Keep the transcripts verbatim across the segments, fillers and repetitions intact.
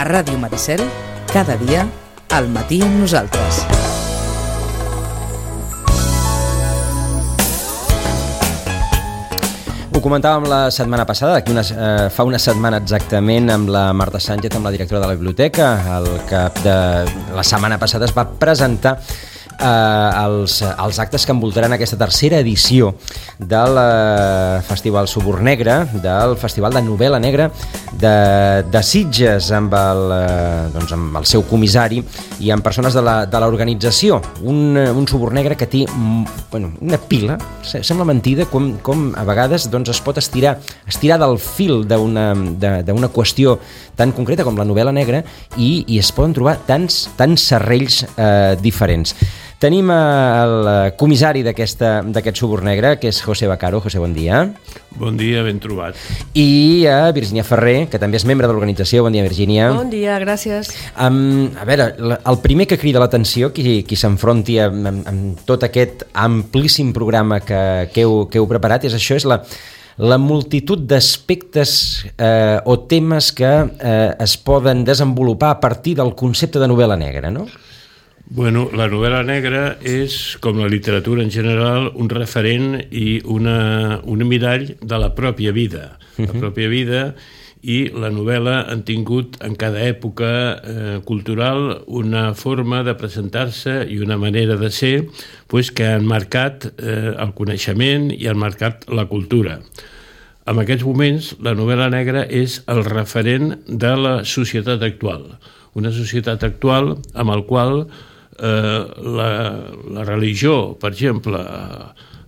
Ràdio Maricel, cada dia, al matí amb nosaltres. Ho comentàvem la setmana passada, aquí una, eh, fa una setmana exactament, amb la Marta Sánchez, amb la directora de la biblioteca. El cap de la setmana passada es va presentar eh, els, els actes que envoltaran aquesta tercera edició del eh, Festival Suburn Negre, del Festival de Novel·la Negra de, de Sitges, amb el, eh, doncs amb el seu comissari i amb persones de la, de l'organització. Un, un Suburn Negre que té bueno, una pila, sembla mentida com, com a vegades doncs, es pot estirar, estirar del fil d'una, d'una qüestió tan concreta com la novel·la negra i, i es poden trobar tants, tants serrells eh, diferents. Tenim el comissari d'aquest Suburn Negre, que és José Vaccaro. José, bon dia. Bon dia, ben trobat. I a Virginia Ferrer, que també és membre de l'organització. Bon dia, Virginia. Bon dia, gràcies. Um, a veure, el primer que crida l'atenció, qui, qui s'enfronti amb, amb, amb tot aquest amplíssim programa que, que, heu, que heu preparat, és això, és la, la multitud d'aspectes eh, o temes que eh, es poden desenvolupar a partir del concepte de novel·la negra, no? Bueno, la novel·la negra és, com la literatura en general, un referent i una, un mirall de la pròpia vida. La pròpia vida i la novel·la han tingut en cada època eh, cultural una forma de presentar-se i una manera de ser pues, que han marcat eh, el coneixement i han marcat la cultura. En aquests moments, la novel·la negra és el referent de la societat actual. Una societat actual amb el qual eh, la, la religió, per exemple,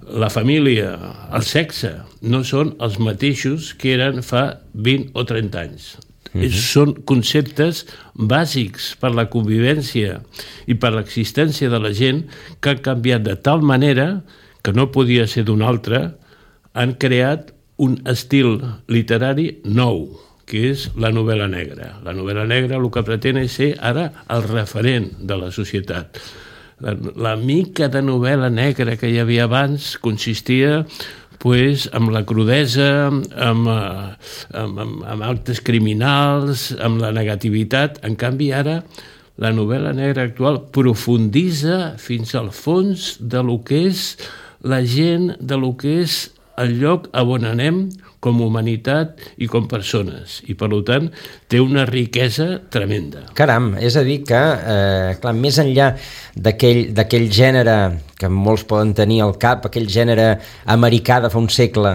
la família, el sexe, no són els mateixos que eren fa vint o trenta anys. Uh-huh. Són conceptes bàsics per la convivència i per l'existència de la gent que han canviat de tal manera que no podia ser d'una altra, han creat un estil literari nou, que és la novel·la negra. La novel·la negra el que pretén és ser ara el referent de la societat. La, la mica de novel·la negra que hi havia abans consistia pues, amb la crudesa, amb, amb, amb, amb actes criminals, amb la negativitat. En canvi, ara, la novel·la negra actual profunditza fins al fons de lo que és la gent, de lo que és el lloc on anem com a humanitat i com persones. I, per tant, té una riquesa tremenda. Caram, és a dir que, eh, clar, més enllà d'aquell, d'aquell gènere que molts poden tenir al cap, aquell gènere americà de fa un segle,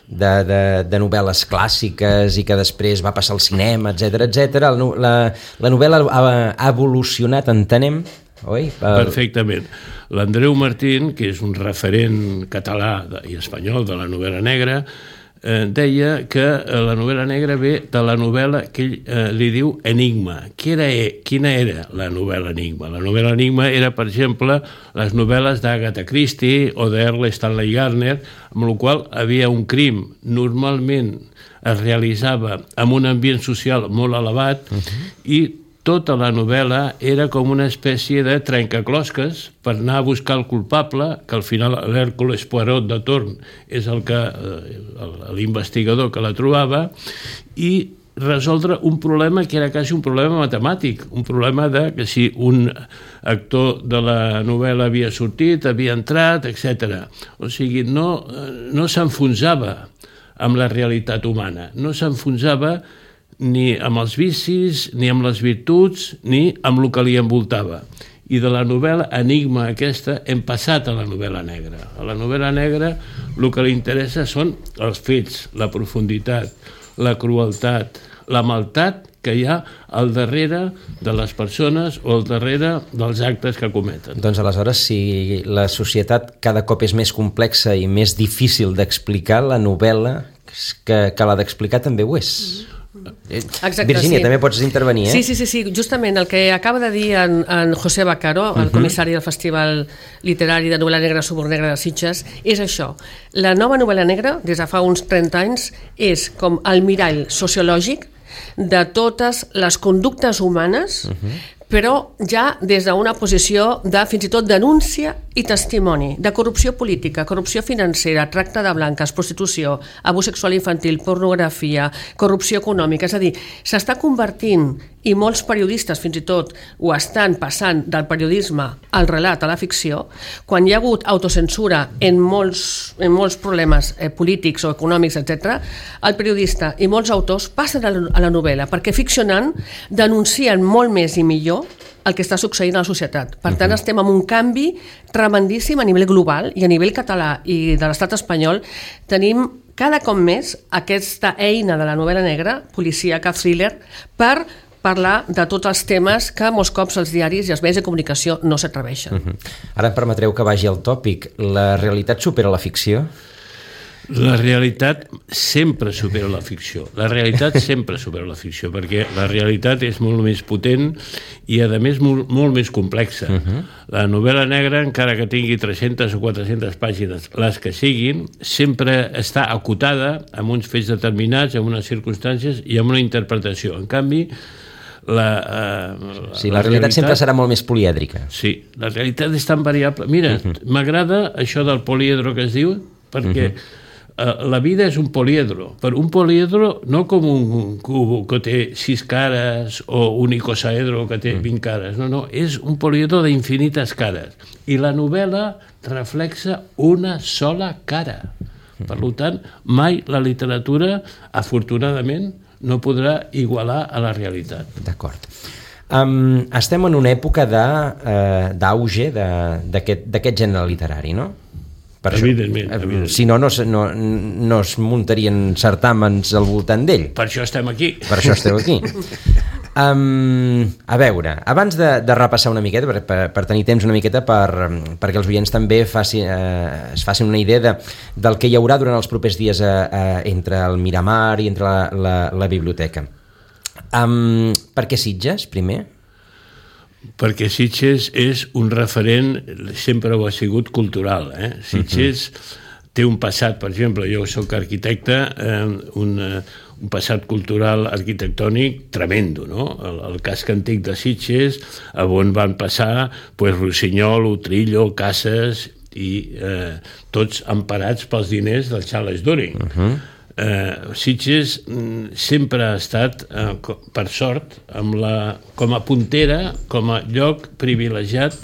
de, de, de novel·les clàssiques i que després va passar al cinema, etcètera, etcètera, la, la, la novel·la ha, ha evolucionat, entenem, oi? Perfectament. L'Andreu Martín, que és un referent català i espanyol de la novel·la negra, eh, deia que la novel·la negra ve de la novel·la que ell eh, li diu Enigma. Quina era, quina era la novel·la Enigma? La novel·la Enigma era, per exemple, les novel·les d'Agatha Christie o d'Erle Stanley Gardner, amb la qual havia un crim. Normalment es realitzava en un ambient social molt elevat uh-huh. i tota la novel·la era com una espècie de trencaclosques per anar a buscar el culpable, que al final l'Hèrcules Poirot de torn és el que l'investigador que la trobava, i resoldre un problema que era quasi un problema matemàtic, un problema de que si un actor de la novel·la havia sortit, havia entrat, etcètera. O sigui, no, no s'enfonsava amb la realitat humana, no s'enfonsava ni amb els vicis, ni amb les virtuts, ni amb el que li envoltava. I de la novel·la Enigma aquesta hem passat a la novel·la negra. A la novel·la negra el que li interessa són els fets, la profunditat, la crueltat, la maldat que hi ha al darrere de les persones o al darrere dels actes que cometen. Doncs aleshores, si la societat cada cop és més complexa i més difícil d'explicar, la novel·la que, que l'ha d'explicar també ho és. Exacte, Virginia, sí. També pots intervenir, eh? Sí, sí, sí, sí, justament el que acaba de dir en, en José Vaccaro, el uh-huh. comissari del Festival Literari de Novel·la Negra Suburn Negre de Sitges, és això. La nova novel·la negra, des de fa uns trenta anys, és com el mirall sociològic de totes les conductes humanes, uh-huh. però ja des d'una posició de fins i tot denúncia i testimoni de corrupció política, corrupció financera, tracte de blanques, prostitució, abús sexual infantil, pornografia, corrupció econòmica. És a dir, s'està convertint i molts periodistes fins i tot ho estan passant del periodisme al relat, a la ficció, quan hi ha hagut autocensura en molts, en molts problemes eh, polítics o econòmics, etcètera, el periodista i molts autors passen a la, a la novel·la, perquè ficcionant denuncien molt més i millor el que està succeint a la societat. Per tant, estem en un canvi tremendíssim a nivell global i a nivell català i de l'estat espanyol. Tenim cada cop més aquesta eina de la novel·la negra, policíaca, thriller, per parlar de tots els temes que molts cops els diaris i els mitjans de comunicació no s'atreveixen. Uh-huh. Ara em permetreu que vagi al tòpic. La realitat supera la ficció? La realitat sempre supera la ficció. La realitat sempre supera la ficció, perquè la realitat és molt més potent i, a més, molt, molt més complexa. Uh-huh. La novel·la negra, encara que tingui tres-centes o quatre-centes pàgines, les que siguin, sempre està acotada amb uns fets determinats, amb unes circumstàncies i amb una interpretació. En canvi, La, uh, sí, la, la realitat, realitat sempre serà molt més polièdrica. Sí, la realitat és tan variable. Mira, uh-huh. m'agrada això del poliedro que es diu, perquè uh-huh. uh, la vida és un poliedro. Per un poliedro, no com un cubo que té sis cares o un icosaedro que té uh-huh. vint cares. No, no, és un poliedro d'infinites cares. I la novel·la reflexa una sola cara. Uh-huh. Per tant, mai la literatura, afortunadament, no podrà igualar a la realitat. D'acord. Um, estem en una època d'auge uh, d'aquest gènere literari, no? Per evidentment, això, evidentment. Si no, no, no, no es muntarien certàmens al voltant d'ell. Per això estem aquí. Per això esteu aquí. Um, a veure, abans de, de repassar una miqueta, per, per, per tenir temps una miqueta per, perquè els oients també faci, eh, es facin una idea de, del que hi haurà durant els propers dies eh, eh, entre el Miramar i entre la, la, la biblioteca. Um, per què Sitges, primer? Perquè Sitges és un referent, sempre ho ha sigut, cultural. Eh? Sitges uh-huh. té un passat, per exemple, jo soc arquitecte, eh, un, un passat cultural arquitectònic tremendo, no? El, el casc antic de Sitges, on van passar pues, Rossinyol, Utrillo, Casas, i eh, tots emparats pels diners del Charles During. Uh-huh. Eh, Sitges sempre ha estat, eh, per sort, amb la, com a puntera, com a lloc privilegiat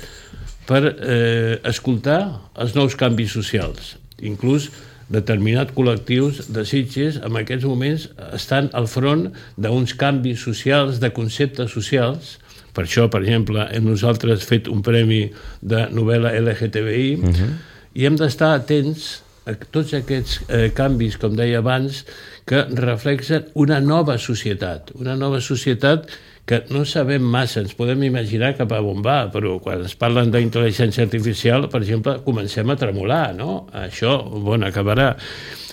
per eh, escoltar els nous canvis socials. Inclús determinats col·lectius de Sitges en aquests moments estan al front d'uns canvis socials, de conceptes socials. Per això, per exemple, nosaltres hem fet un premi de novel·la L G T B I uh-huh. i hem d'estar atents a tots aquests eh, canvis, com deia abans, que reflexen una nova societat, una nova societat que no sabem massa, ens podem imaginar cap a on va, però quan es parlen d'intel·ligència artificial, per exemple, comencem a tremolar, no? Això, bon, acabarà.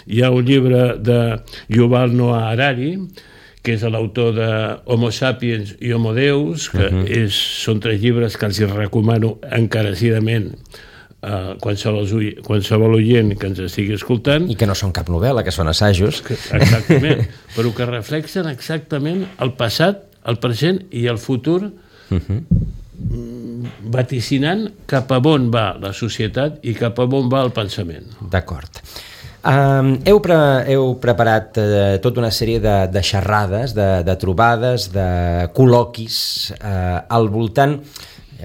Hi ha un llibre de Yuval Noah Harari, que és l'autor de Homo Sapiens i Homo Deus, que uh-huh. és, són tres llibres que els recomano encarecidament a qualsevol, qualsevol oient que ens estigui escoltant. I que no són cap novel·la, que són assajos. Exactament, però que reflexen exactament el passat, el present i el futur, uh-huh. vaticinant cap a on va la societat i cap a on va el pensament. D'acord. Um, heu, pre heu preparat uh, tota una sèrie de, de xerrades, de, de trobades, de col·loquis uh, al voltant,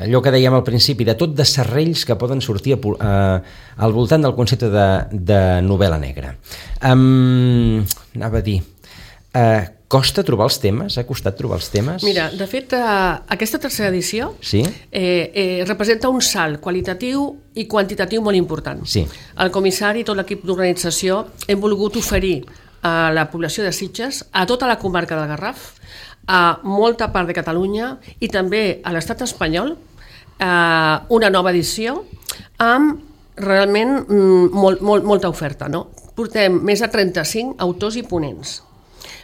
allò que dèiem al principi, de tot de serrells que poden sortir a, uh, al voltant del concepte de, de novel·la negra. Um, anava a dir... Uh, costa trobar els temes? Ha costat trobar els temes? Mira, de fet, eh, aquesta tercera edició sí? eh, eh, representa un salt qualitatiu i quantitatiu molt important. Sí. El comissari i tot l'equip d'organització hem volgut oferir a la població de Sitges, a tota la comarca del Garraf, a molta part de Catalunya i també a l'estat espanyol, eh, una nova edició amb realment molt, molt, molta oferta. No? Portem més de trenta-cinc autors i ponents.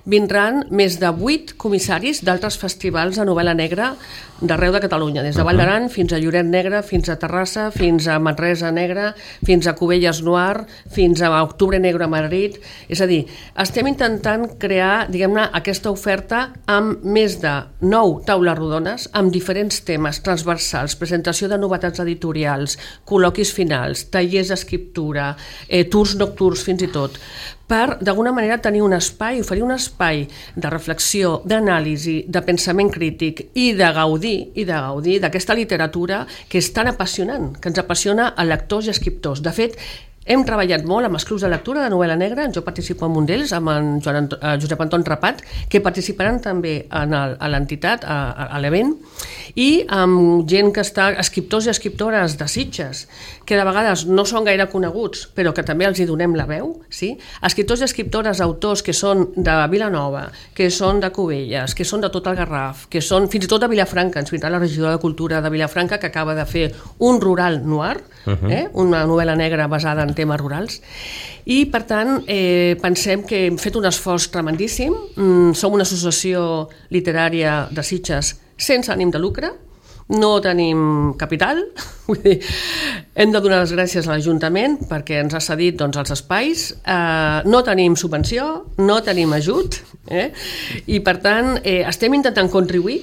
Vindran més de vuit comissaris d'altres festivals de novel·la negra d'arreu de Catalunya, des de Vall d'Aran fins a Lloret Negre, fins a Terrassa, fins a Manresa Negra, fins a Cubelles Noir, fins a Octubre Negre a Madrid. És a dir, estem intentant crear, diguem-ne, aquesta oferta amb més de nou taules rodones, amb diferents temes transversals, presentació de novetats editorials, col·loquis finals, tallers d'escriptura, eh, tours nocturns fins i tot, per, d'alguna manera, tenir un espai, oferir un espai de reflexió, d'anàlisi, de pensament crític i de gaudir, i de gaudir d'aquesta literatura que és tan apassionant, que ens apassiona a lectors i escriptors. De fet, hem treballat molt amb els clubs de lectura de novel·la negra, jo participo en un d'ells, amb en Joan Anto, eh, Josep Anton Rapat, que participaran també en el, a l'entitat, a, a l'event, i amb gent que està, escriptors i escriptores de Sitges, que de vegades no són gaire coneguts, però que també els hi donem la veu, sí? Escriptors i escriptores, autors que són de Vilanova, que són de Cubelles, que són de tot el Garraf, que són fins i tot de Vilafranca, ens vindrà la regidora de Cultura de Vilafranca, que acaba de fer un rural noir, uh-huh. eh? una novel·la negra basada en temes rurals, i per tant eh, pensem que hem fet un esforç tremendíssim. Mm, som una associació literària de Sitges sense ànim de lucre, no tenim capital, vull dir, hem de donar les gràcies a l'Ajuntament perquè ens ha cedit doncs, els espais, eh, no tenim subvenció, no tenim ajut, eh? I per tant eh, estem intentant contribuir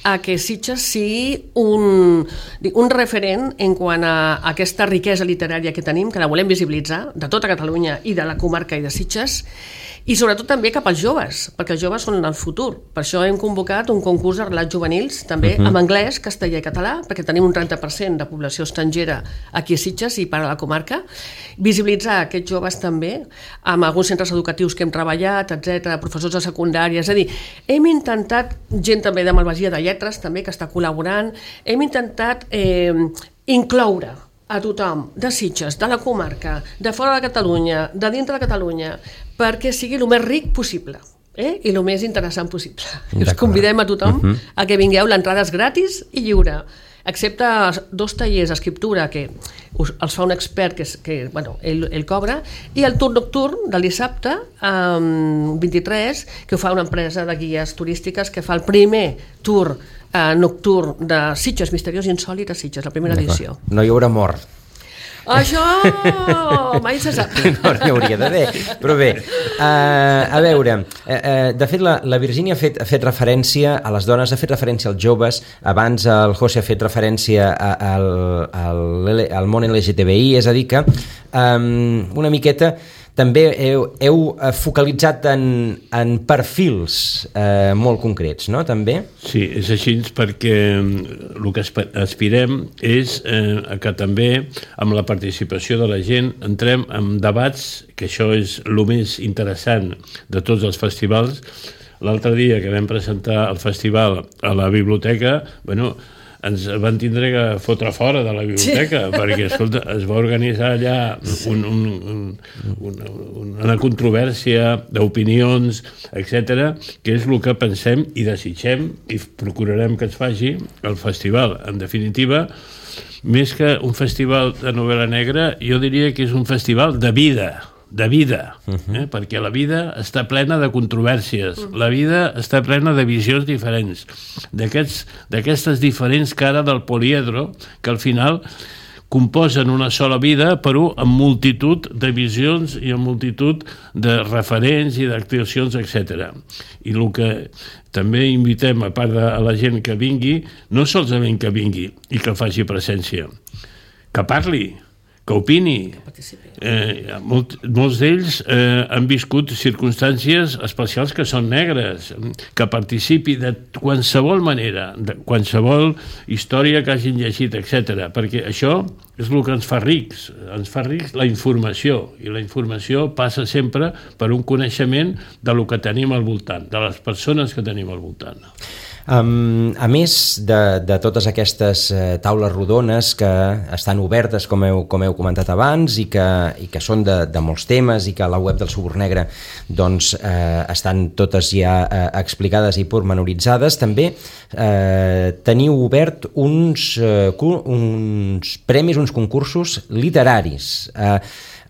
a que Sitges sigui un, un referent en quant a aquesta riquesa literària que tenim, que la volem visibilitzar de tota Catalunya i de la comarca i de Sitges, i sobretot també cap als joves, perquè els joves són el futur. Per això hem convocat un concurs de relats juvenils, també uh-huh. en anglès, castellà i català, perquè tenim un trenta per cent de població estrangera aquí a Sitges i per a la comarca. Visibilitzar aquests joves també, amb alguns centres educatius que hem treballat, etcètera, professors de secundària. És a dir, hem intentat, gent també de Malvasia de Lletres, també, que està col·laborant, hem intentat eh, incloure a tothom, de Sitges, de la comarca, de fora de Catalunya, de dintre de Catalunya, perquè sigui el més ric possible, eh? I el més interessant possible. I us convidem a tothom uh-huh. a que vingueu, l'entrada és gratis i lliure, excepte dos tallers d'escriptura que us, els fa un expert que, que bueno, ell, ell cobra, i el tour nocturn del dissabte, um, vint-i-tres, que ho fa una empresa de guies turístiques que fa el primer tour Uh, nocturn de Sitges, misteriós i insòlit a Sitges, la primera edició. No hi haurà mort. Això mai se sap. No, no hi hauria d'haver. Però bé, uh, a veure, uh, uh, de fet la, la Virgínia ha fet, ha fet referència a les dones, ha fet referència als joves, abans el José ha fet referència a, a, al, al món L G T B I, és a dir que um, una miqueta també heu, heu focalitzat en, en perfils eh, molt concrets, no? També? Sí, és així perquè el que aspirem és eh, que també amb la participació de la gent entrem en debats, que això és el més interessant de tots els festivals. L'altre dia que vam presentar el festival a la biblioteca, bueno, ens van tindre que fotre fora de la biblioteca, sí. perquè escolta, es va organitzar allà un, un, un, un, una controvèrsia d'opinions, etcètera, que és el que pensem i desitgem i procurarem que es faci el festival. En definitiva, més que un festival de novel·la negra, jo diria que és un festival de vida, de vida, eh? perquè la vida està plena de controvèrsies, la vida està plena de visions diferents, d'aquests, d'aquestes diferents cares del poliedro, que al final composen una sola vida, però amb multitud de visions i amb multitud de referents i d'actuacions, etcètera. I el que també invitem, a part de la gent que vingui, no solament que vingui i que faci presència, que parli, que opini. Eh, molt, molts d'ells eh, han viscut circumstàncies especials que són negres, que participi de qualsevol manera, de qualsevol història que hagin llegit, etcètera, perquè això és el que ens fa rics, ens fa rics la informació, i la informació passa sempre per un coneixement de lo que tenim al voltant, de les persones que tenim al voltant. Um, a més de, de totes aquestes uh, taules rodones que estan obertes, com heu, com heu comentat abans, i que, i que són de, de molts temes, i que a la web del Suburn Negre doncs, uh, estan totes ja uh, explicades i pormenoritzades, també uh, teniu obert uns, uh, uns premis, uns concursos literaris. Uh,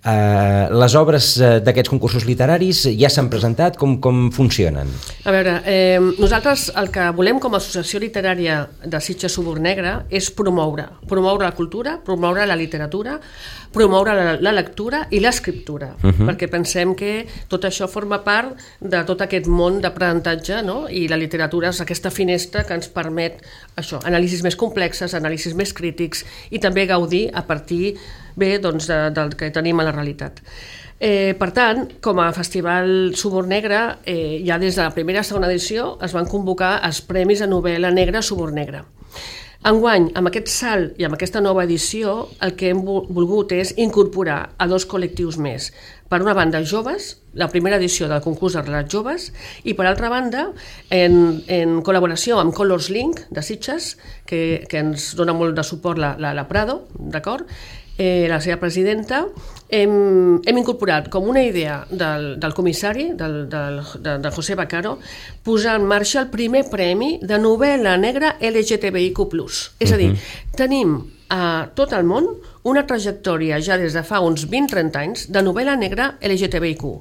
Eh, les obres d'aquests concursos literaris ja s'han presentat? Com, com funcionen? A veure, eh, nosaltres el que volem com a Associació Literària de Sitges Subornegra és promoure, promoure la cultura, promoure la literatura, promoure la, la lectura i l'escriptura, uh-huh. perquè pensem que tot això forma part de tot aquest món d'aprenentatge, no? I la literatura és aquesta finestra que ens permet això, anàlisis més complexes, anàlisis més crítics i també gaudir a partir bé, doncs, de, del que tenim a la realitat. Eh, per tant, com a Festival Subornegra, eh, ja des de la primera i segona edició es van convocar els Premis de Novel·la Negra Subornegra. Enguany, amb aquest salt i amb aquesta nova edició, el que hem volgut és incorporar a dos col·lectius més. Per una banda, joves, la primera edició del concurs de relats joves, i per altra banda, en, en col·laboració amb Colors Link de Sitges, que, que ens dona molt de suport la, la, la Prado, d'acord? Eh, la seva presidenta, hem, hem incorporat com una idea del, del comissari, del, del, de, de José Bacaro, posar en marxa el primer premi de novel·la negra L G T B I Q plus. És a dir, tenim a tot el món una trajectòria ja des de fa uns vint a trenta anys de novel·la negra L G T B I Q,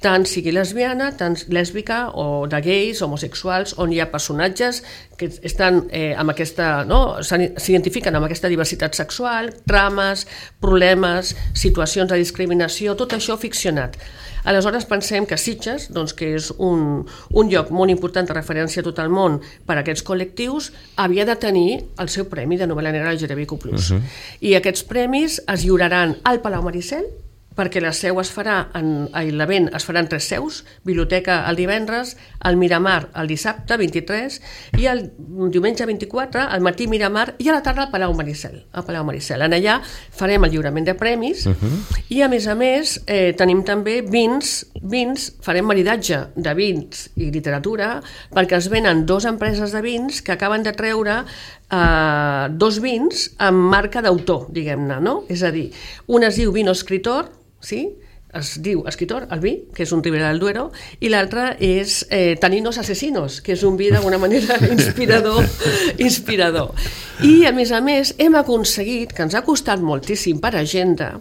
tant sigui lesbiana, tant lèsbica o de gais, homosexuals, on hi ha personatges que estan eh, amb aquesta, no, s'identifiquen amb aquesta diversitat sexual, trames, problemes, situacions de discriminació, tot això ficcionat. Aleshores pensem que Sitges, doncs, que és un, un lloc molt important de referència a tot el món per a aquests col·lectius, havia de tenir el seu premi de novel·la negra L G T B I Q plus. Uh-huh. I aquests premis es lliuraran al Palau Maricel, perquè la seu es farà, en, l'event es farà en tres seus, biblioteca el divendres, el Miramar el dissabte vint-i-tres i el diumenge vint-i-quatre al matí Miramar i a la tarda al Palau Maricel. Al Palau Maricel. En allà farem el lliurament de premis uh-huh. i a més a més eh, tenim també vins, vins, farem maridatge de vins i literatura perquè es venen dues empreses de vins que acaben de treure eh, dos vins amb marca d'autor, diguem-ne, no? És a dir, un es diu Vino Escritor, sí? Es diu Escritor, el vi, que és un Ribera del Duero, i l'altre és eh, Taninos Asesinos, que és un vi d'alguna manera inspirador, inspirador. I, a més a més, hem aconseguit, que ens ha costat moltíssim per agenda,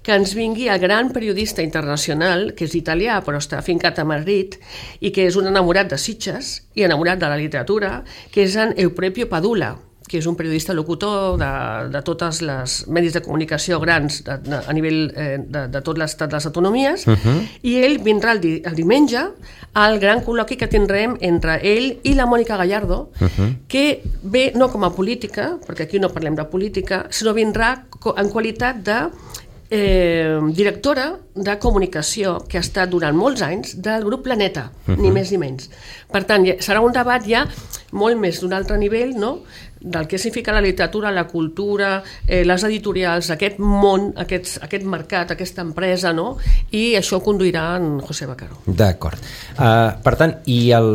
que ens vingui el gran periodista internacional, que és italià, però està afincat a Madrid, i que és un enamorat de Sitges i enamorat de la literatura, que és en Euprepio Padula, que és un periodista locutor de, de totes les medis de comunicació grans de, de, a nivell eh, de, de tot l'estat de les autonomies, uh-huh. i ell vindrà el, di, el diumenge al gran col·loqui que tindrem entre ell i la Mònica Gallardo, uh-huh. que ve no com a política, perquè aquí no parlem de política, sinó vindrà en qualitat de eh, directora de comunicació que ha estat durant molts anys del grup Planeta, uh-huh. ni més ni menys. Per tant, serà un debat ja molt més d'un altre nivell, no?, del que significa la literatura, la cultura, eh, les editorials, aquest món, aquest, aquest mercat, aquesta empresa, no? I això ho conduirà en José Bacaro. D'acord. Uh, per tant, i el,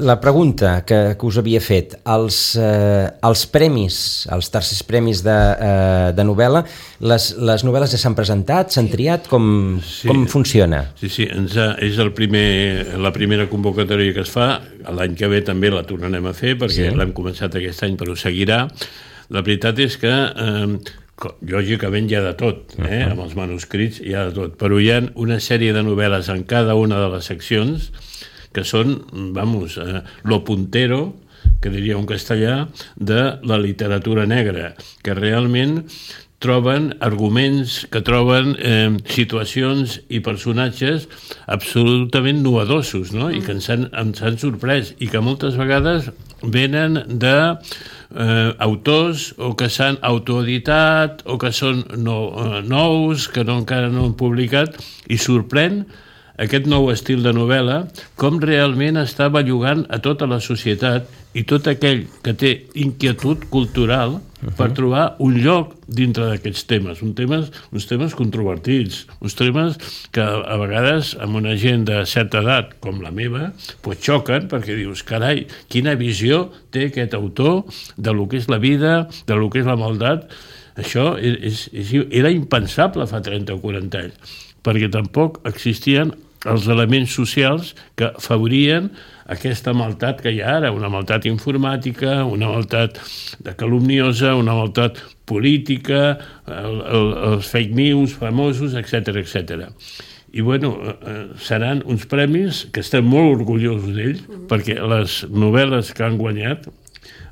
la pregunta que, que us havia fet, els, uh, els premis, els tercers premis de, uh, de novel·la, les, les novel·les ja s'han presentat, s'han triat, com, sí, com funciona? Sí, sí, ens ha, és el primer, la primera convocatòria que es fa, l'any que ve també la tornarem a fer, perquè sí. l'hem començat aquest any però seguirà. La veritat és que eh, lògicament hi ha de tot, eh? amb els manuscrits hi ha de tot, però hi ha una sèrie de novel·les en cada una de les seccions que són, vamos, eh, lo puntero, que diria un castellà, de la literatura negra, que realment troben arguments, que troben eh, situacions i personatges absolutament novedosos, no? I que ens han, ens han sorprès i que moltes vegades venen de eh, autors o que s'han autoeditat o que són no, eh, nous, que no, encara no han publicat, i sorprèn aquest nou estil de novel·la com realment està bellugant a tota la societat i tot aquell que té inquietud cultural per trobar un lloc dintre d'aquests temes, un temes, uns temes controvertits, uns temes que a vegades amb una gent de certa edat com la meva pues xoquen perquè dius, carai, quina visió té aquest autor de lo que és la vida, de lo que és la maldat. Això és, és, era impensable fa trenta o quaranta anys, perquè tampoc existien els elements socials que afavorien aquesta maltat que hi ha ara, una maltat informàtica, una maltat de calumniosa, una maltat política, el, el, els fake news famosos, etcètera, etcètera. I, bueno, eh, seran uns premis que estem molt orgullosos d'ells, perquè les novel·les que han guanyat,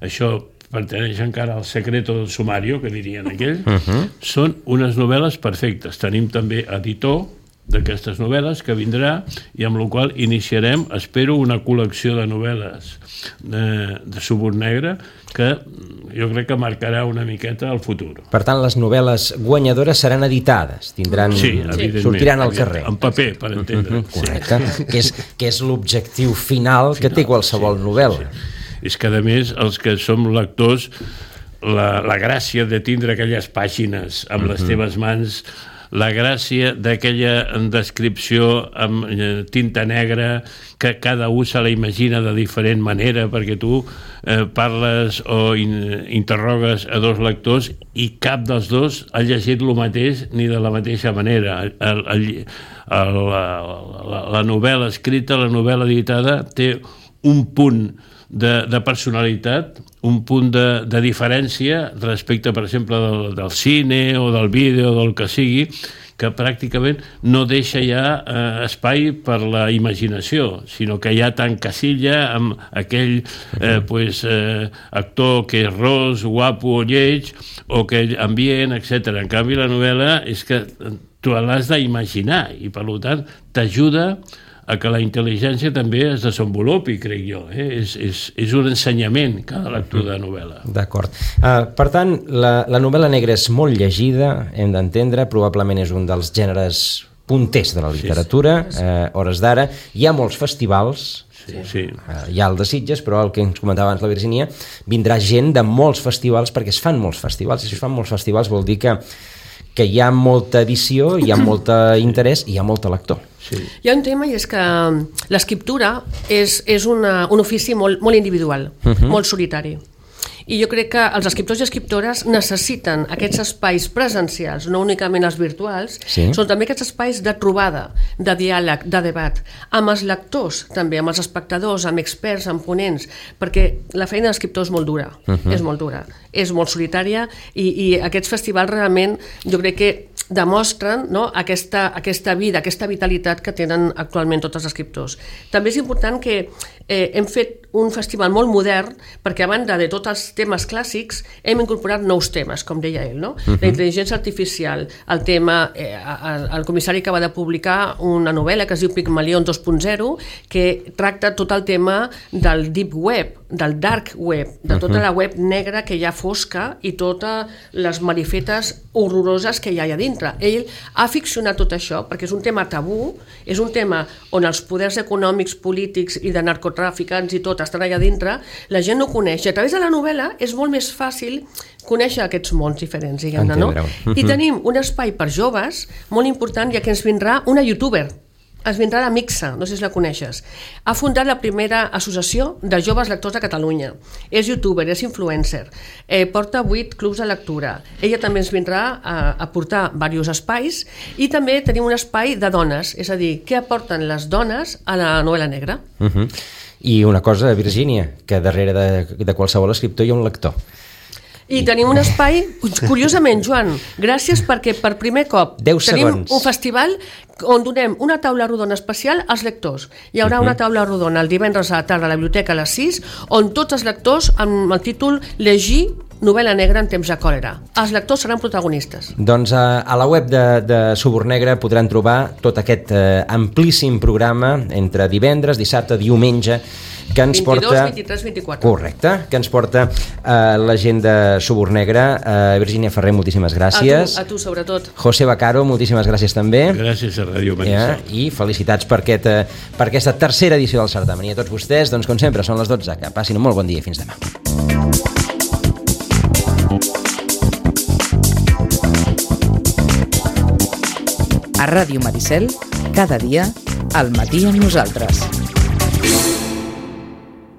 això pertaneix encara al secreto del sumario, que dirien aquell, uh-huh. són unes novel·les perfectes. Tenim també editor d'aquestes novel·les que vindrà i amb la qual iniciarem, espero, una col·lecció de novel·les de, de Suborn Negre que jo crec que marcarà una miqueta el futur. Per tant, les novel·les guanyadores seran editades, tindran, sí, sortiran al carrer. En paper, per entendre. Uh-huh, correcte, sí. que, és, que és l'objectiu final, final que té qualsevol sí, novel·la. Sí. És que, a més, els que som lectors, la, la gràcia de tindre aquelles pàgines amb uh-huh. les teves mans, la gràcia d'aquella descripció amb tinta negra que cada un se la imagina de diferent manera, perquè tu eh, parles o in, interrogues a dos lectors i cap dels dos ha llegit el mateix ni de la mateixa manera. El, el, el, la, la, la novel·la escrita, la novel·la editada té un punt de, de personalitat, un punt de, de diferència respecte, per exemple, del, del cine o del vídeo o del que sigui, que pràcticament no deixa ja eh, espai per la imaginació, sinó que ja t'encasilla amb aquell eh, pues, eh, actor que és ros, guapo o lleig, o aquell ambient, etcètera. En canvi, la novel·la és que tu l'has d'imaginar i, per tant, t'ajuda a que la intel·ligència també es desenvolupi, crec jo. Eh? És, és, és un ensenyament cada lectura de novel·la. D'acord. Uh, per tant, la, la novel·la negra és molt llegida, hem d'entendre, probablement és un dels gèneres punters de la literatura, sí, sí. Uh, hores d'ara. Hi ha molts festivals, sí, sí. Uh, hi ha el de Sitges, però el que ens comentava abans la Virginia, vindrà gent de molts festivals, perquè es fan molts festivals, i si es fan molts festivals vol dir que que hi ha molta edició, hi ha molt interès i hi ha molt lector. Sí. Hi ha un tema i és que l'escriptura és, és una, un ofici molt, molt individual, uh-huh. molt solitari. I jo crec que els escriptors i escriptores necessiten aquests espais presencials, no únicament els virtuals, sí. són també aquests espais de trobada, de diàleg, de debat, amb els lectors també, amb els espectadors, amb experts, amb ponents, perquè la feina d'escriptor és molt dura, uh-huh. és molt dura, és molt solitària i, i aquests festivals realment jo crec que demostren no, aquesta, aquesta vida, aquesta vitalitat que tenen actualment tots els escriptors. També és important que eh, hem fet un festival molt modern perquè a banda de tots els temes clàssics hem incorporat nous temes, com deia ell, no? Uh-huh. La intel·ligència artificial, el tema, eh, el, el comissari acaba de publicar una novel·la que es diu Pigmalion dos punt zero que tracta tot el tema del deep web, del dark web, de tota uh-huh. la web negra que hi ha fosca i totes les marifetes horroroses que hi ha allà dintre. Ell ha ficcionat tot això perquè és un tema tabú, és un tema on els poders econòmics, polítics i de narcotràficants i tot estan allà dintre, la gent no coneix. I a través de la novel·la és molt més fàcil conèixer aquests mons diferents, diguem-ne, no? I tenim un espai per joves molt important, ja que ens vindrà una youtuber. Es vindrà la Mixa, no sé si la coneixes. Ha fundat la primera associació de joves lectors de Catalunya. És youtuber, és influencer, eh, porta vuit clubs de lectura. Ella també ens vindrà a, a portar diversos espais i també tenim un espai de dones, és a dir, què aporten les dones a la novel·la negra. Uh-huh. I una cosa, Virgínia, que darrere de, de qualsevol escriptor hi ha un lector. I tenim un espai, curiosament, Joan, gràcies perquè per primer cop tenim un festival on donem una taula rodona especial als lectors. Hi haurà uh-huh. una taula rodona el divendres a la tarda a la biblioteca a les sis, on tots els lectors amb el títol Llegir novel·la negra en temps de còlera. Els lectors seran protagonistes. Doncs a, a la web de, de Suborn Negre podran trobar tot aquest eh, amplíssim programa entre divendres, dissabte, diumenge, que ens vint-i-dos, porta... vint-i-tres, vint-i-quatre. Correcte, que ens porta eh, la gent de Suborn Negre. Eh, Virgínia Ferrer, moltíssimes gràcies. A tu, a tu sobretot. José Baccaro, moltíssimes gràcies també. Gràcies a Ràdio Maricel. Ja, I felicitats per, aquest, eh, per aquesta tercera edició del certamen. I a tots vostès, doncs com sempre, són les dotze. Que passin un molt bon dia i fins demà. A Ràdio Maricel, cada dia, al matí amb nosaltres.